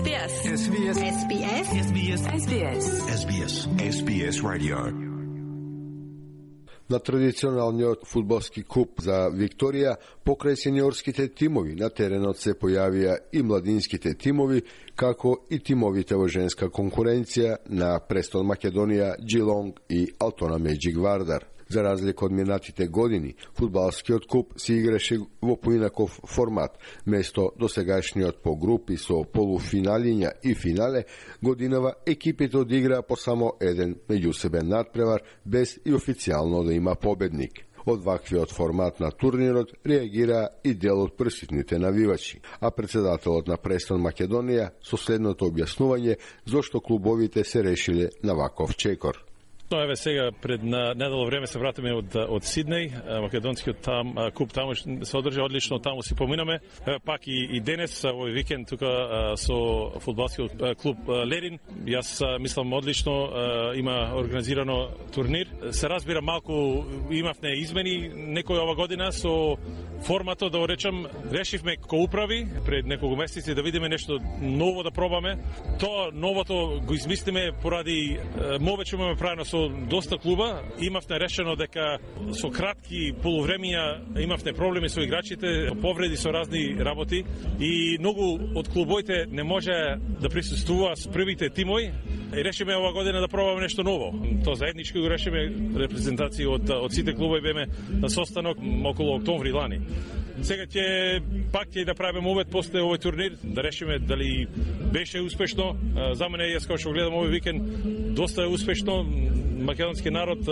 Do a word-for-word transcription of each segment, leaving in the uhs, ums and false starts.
би ес. Ес Би Ес. Ес Би Ес. Ес Би Ес. Ес Би Ес. Ес Би Ес. Ес Би Ес Radio. На традиционалниот фудбалски куп за Викторија, покрај сениорските тимови, на теренот се појавија и младинските тимови, како и тимовите во женска конкуренција на Престон Македонија, Джилонг и Алтона Меджик Вардар. За разлика од минатите години, фудбалскиот куп се играше во поинаков формат. Место досегашниот по групи со полуфиналиња и финале, годинава екипите одиграа по само еден меѓусебен надпревар, без и официјално да има победник. Од ваквиот формат на турнирот реагира и дел од присутните навивачи, а председателот на Престон Македонија со следното објаснување зошто клубовите се решиле на ваков чекор. Но еве сега пред на недолго време се вратиме од од Сиднеј, македонскиот там куп таму се одржа одлично, таму си поминаме. Еве пак и, и денес овој викенд тука со фудбалскиот клуб Лерин. Јас мислам одлично има организирано турнир. Се разбира малку имавме измени некој ова година со форматот, да го речам, решивме ко управи пред неколку месеци да видиме нешто ново да пробаме. Тоа новото го измислиме поради мовеќе имаме правено со доста клуба. Имавме решено дека со кратки полувремија имавме проблеми со играчите, повреди со разни работи и многу од клубоите не може да присуствува со првите тимови. И решиме ова година да пробаме нешто ново. Тоа заеднички го решиме, репрезентации од од сите клубови беме на состанок околу октомври лани. Сега ќе пак ќе да правиме овој после овој турнир, да решиме дали беше успешно. За мене, јас кога што гледам овој викенд, доста е успешно. Македонски народ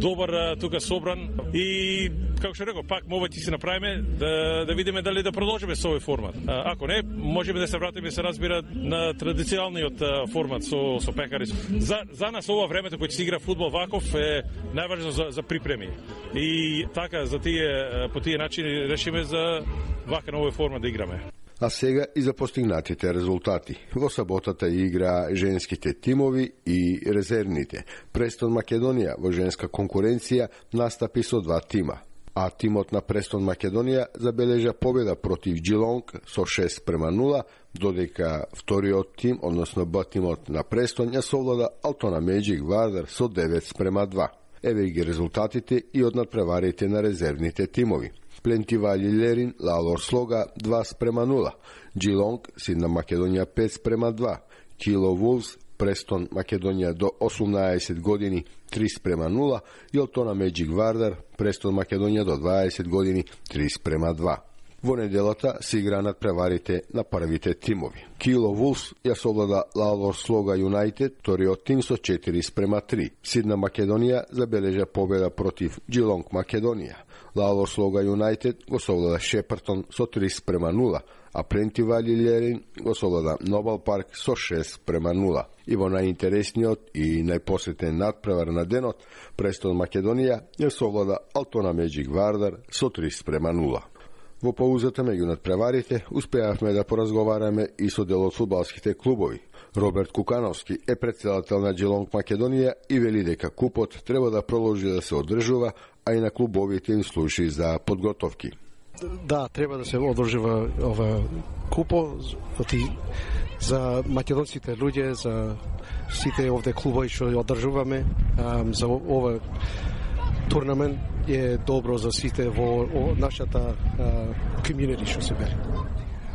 добар тука собран и како што реков, пак мовеќе си направиме да да видиме дали да продолжиме со овој формат. Ако не, можеме да се вратиме, се разбира, на традиционалниот формат со со пекари. За за нас ова времето кога се игра фудбал ваков е најважно за за припреми. И така за тие по тие начини решиме за вака на овој формат да играме. А сега и за постигнатите резултати. Во саботата игра женските тимови и резервните. Престон Македонија во женска конкуренција настапи со два тима. А тимот на Престон Македонија забележа победа против Джилонг со шест према нула, додека вториот тим, односно Б тимот на Престон, ја совлада Алтона Меджик Вардар со девет према два. Еве ги резултатите и од надпреварите на резервните тимови. Плентивали Лерин, Лалор Слога два спрема нула, Джилонг, Сидна Македонија пет спрема два, Кило Вулс, Престон Македонија до осумнаесет години три спрема нула и Алтона Меджик Вардар, Престон Македонија до дваесет години три спрема два. Во неделата се игра надпреварите на првите тимови. Кило Вулс ја совлада Лалор Слога Юнайтед, вториот тим со четири спрема три. Сидна Македонија забележа победа против Джилонг Македонија. Лалор Слога Юнайтед го совлада Шепартон со три спрема нула, а Плентивали Лерин го совлада Нобел Парк со шест спрема нула. И во најинтересниот и најпосетен надпревар на денот, Престон Македонија ја совлада Алтона Меджик Вардар со три спрема нула. Во паузата меѓу надпреварите успеавме да поразговараме и со дел од фудбалските клубови. Роберт Кукановски е председател на Джилонг Македонија и вели дека купот треба да продолжи да се одржува, а и на клубовите им служи за подготовки. Да, треба да се одржува ова купо за македонските луѓе, за сите овде клубови што одржуваме, за ова турнамент е добро за сите во нашата комјунити што се бери.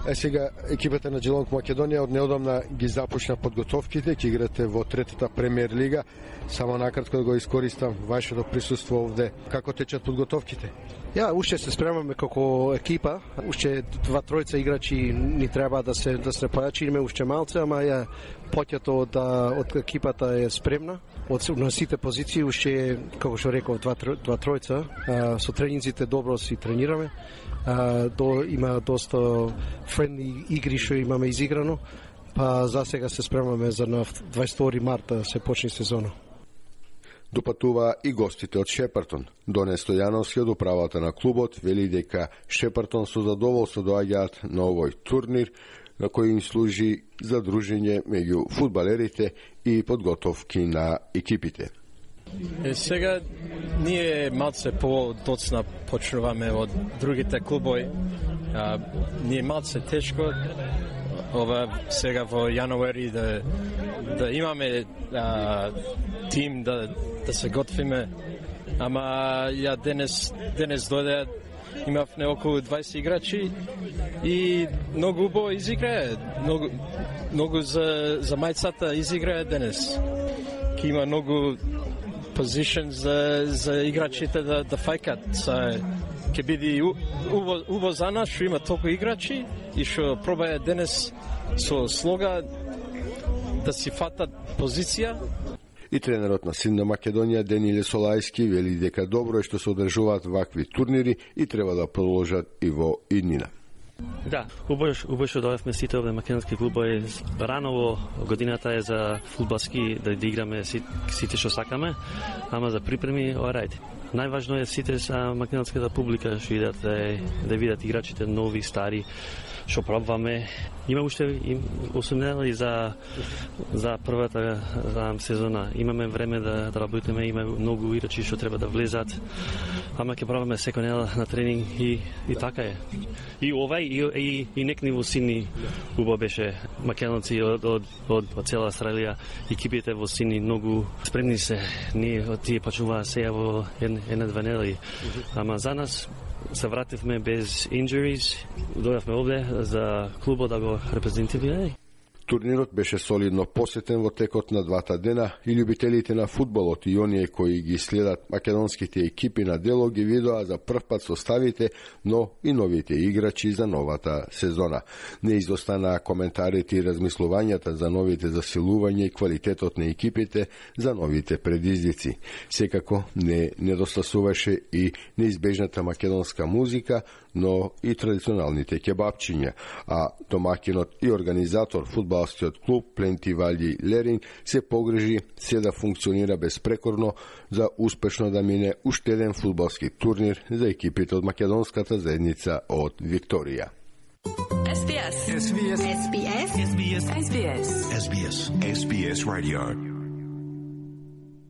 Е сега екипата на Джилонг Македонија од неодамна ги започна подготовките, ќе играте во третата премиер лига. Само накратко да го искористам вашето присуство овде. Како течат подготовките? Ја, уште се спремаме како екипа, уште два тројца играчи ни треба да се да се појачиме уште малце, ама ја поќето од од екипата е спремна. Од на сите позиции уште, како што реков, два два тројца, со тренинзите добро си тренираме. А, до, има доста френдли игри што имаме изиграно, па за сега се спремаме за на дваесет и втори март да се почне сезона. Допатува и гостите од Шепартон. Доне Стојановски од управата на клубот вели дека Шепартон со задоволство доаѓаат на овој турнир, на кој им служи за дружење меѓу фудбалерите и подготовки на екипите. Е, сега ние малце по-доцна почнуваме од другите клубови. А, ние малце тешко ова сега во јануари да да имаме а, тим да да се готвиме. Ама ја денес денес дојде, имавме околу дваесет играчи и многу убаво изиграе, многу многу за за мајцата изиграе денес. Ки има многу позишн за за играчите да да фајкат. Са ќе биде убаво убаво за нас што има толку играчи и што пробаја денес со слога да си фатат позиција. И тренерот на Силна Македонија Дениле Солајски вели дека добро е што се одржуваат вакви турнири и треба да продолжат и во иднина. Да, убаво убаво што дојавме сите овде македонски клубови. Рано во годината е за фудбалски да играме сите што сакаме, ама за припреми alright. Најважно е сите са македонската публика што идат да, да видат играчите нови, стари, што пробваме. Има уште осум недели за за првата за сезона. Имаме време да, да работиме, има многу играчи што треба да влезат. Ама ќе пробаме секој недела на тренинг и и така е. И овај и и, и некни во Сидни убаво беше македонци од од од, од цела Австралија, екипите во Сидни многу спремни се. Ние од тие почнуваа сега во една две недели. Ама за нас се вративме без injuries, дојавме овде за клубот да го репрезентираме. Турнирот беше солидно посетен во текот на двата дена и љубителите на фудбалот и оние кои ги следат македонските екипи на дело ги видоа за прв пат составите, но и новите играчи за новата сезона. Не изостанаа коментарите и размислувањата за новите засилувања и квалитетот на екипите за новите предизвици. Секако не недостасуваше и неизбежната македонска музика, но и традиционалните кебапчиња, а домакинот и организатор фудбалскиот клуб Пленти Валји Лерин се погрежи се да функционира безпрекорно за успешно да мине уште еден фудбалски турнир за екипите од македонската заедница од Викторија. S B S. S B S. S B S. S B S. S B S. S B S. S B S Radio.